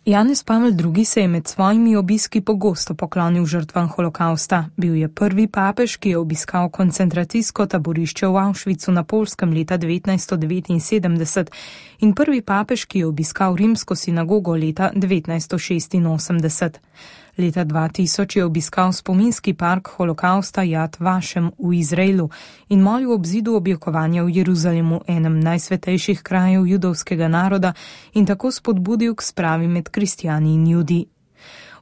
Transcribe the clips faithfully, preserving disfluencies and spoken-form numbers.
Janez Pavel drugi se je med svojimi obiski pogosto poklonil žrtvam holokausta. Bil je prvi papež, ki je obiskal koncentracijsko taborišče v Auschwitzu na Poljskem leta devetnajststo devetinsedemdeset in prvi papež, ki je obiskal rimsko sinagogo leta devetnajststo šestinosemdeset. Leta dva tisoč je obiskal spominski park holokausta Yad Vashem v Izraelu in molil ob zidu objokovanja v Jeruzalemu, enem najsvetejših krajev judovskega naroda, in tako spodbudil k spravi med kristjani in judi.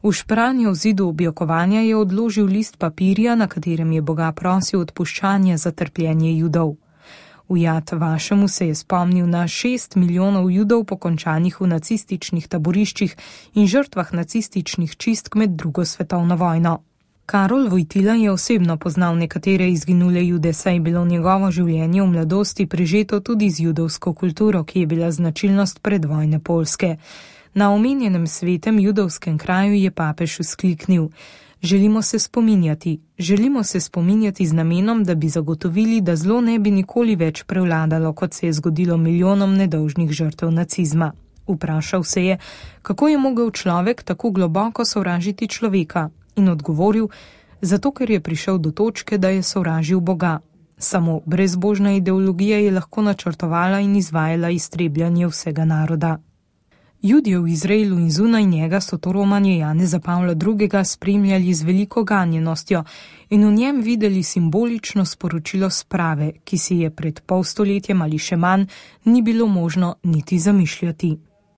V špranjo v zidu objokovanja je odložil list papirja, na katerem je Boga prosil odpuščanja za trpljenje Judov. V Yad Vashemu se je spomnil na šest milijonov Judov pokončanih v nacističnih taboriščih in žrtvah nacističnih čistk med drugo svetovno vojno. Karol Vojtila je osebno poznal nekatere izginule Jude, saj je bilo njegovo življenje v mladosti prežeto tudi z judovsko kulturo, ki je bila značilnost predvojne Poljske. Na omenjenem svetem judovskem kraju je papež vzkliknil: Želimo se spominjati, želimo se spominjati z namenom, da bi zagotovili, da zlo ne bi nikoli več prevladalo, kot se je zgodilo milijonom nedolžnih žrtev nacizma. Vprašal se je, kako je mogel človek tako globoko sovražiti človeka, in odgovoril: zato, ker je prišel do točke, da je sovražil Boga. Samo brezbožna ideologija je lahko načrtovala in izvajala iztrebljanje vsega naroda. Judje v Izraelu in zunaj njega so to romanje Janeza Pavla drugega spremljali z veliko ganjenostjo in v njem videli simbolično sporočilo sprave, ki si je pred pol stoletjem ali še manj ni bilo možno niti zamišljati.